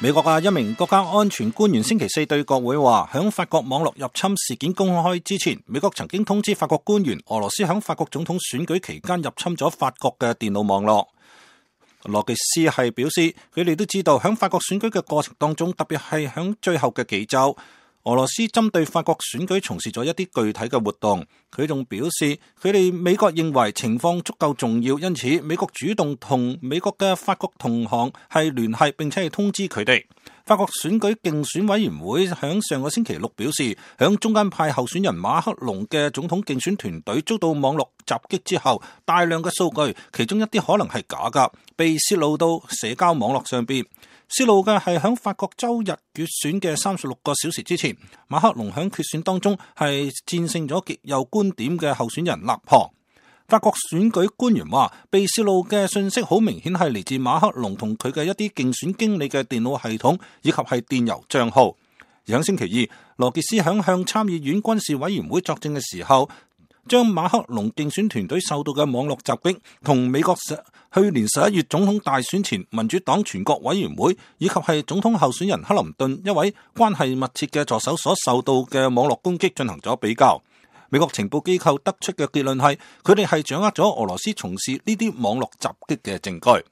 美國嘅一名國家安全官員星期四對國會話，響法國網絡入侵事件公開之前，美國曾經通知法國官員，俄羅斯響法國總統選舉期間入侵咗法國嘅電腦網絡。羅傑斯係表示，佢哋都知道響法國選舉嘅過程當中，特別係響最後嘅幾週，俄羅斯針對法國選舉從事咗一啲具體嘅活動。佢仲表示，佢哋美國認為情況足夠重要，因此美國主動同美國嘅法國同行係聯繫，並且係通知佢哋。法國選舉競選委員會響上個星期六表示，響中間派候選人馬克龍嘅總統競選團隊遭到網絡襲擊之後，大量嘅數據，其中一啲可能係假㗎，被泄露到社交網絡上邊。泄露嘅係響法國周日決選嘅36個小時之前，馬克龍響決選當中係戰勝咗極右觀點嘅候選人勒龐。法國選舉官員話，被泄露嘅信息好明顯係嚟自馬克龍同佢嘅一啲競選經理嘅電腦系統以及係電郵賬號。而喺星期二，羅傑斯響向參議院軍事委員會作證嘅時候，將馬克龍競選團隊受到嘅網絡襲擊同美國去年11月總統大選前民主黨全國委員會以及係總統候選人克林頓一位關係密切嘅助手所受到嘅網絡攻擊進行咗比較。美國情報機構得出嘅結論係，佢哋係掌握咗俄羅斯從事呢啲網絡襲擊嘅證據。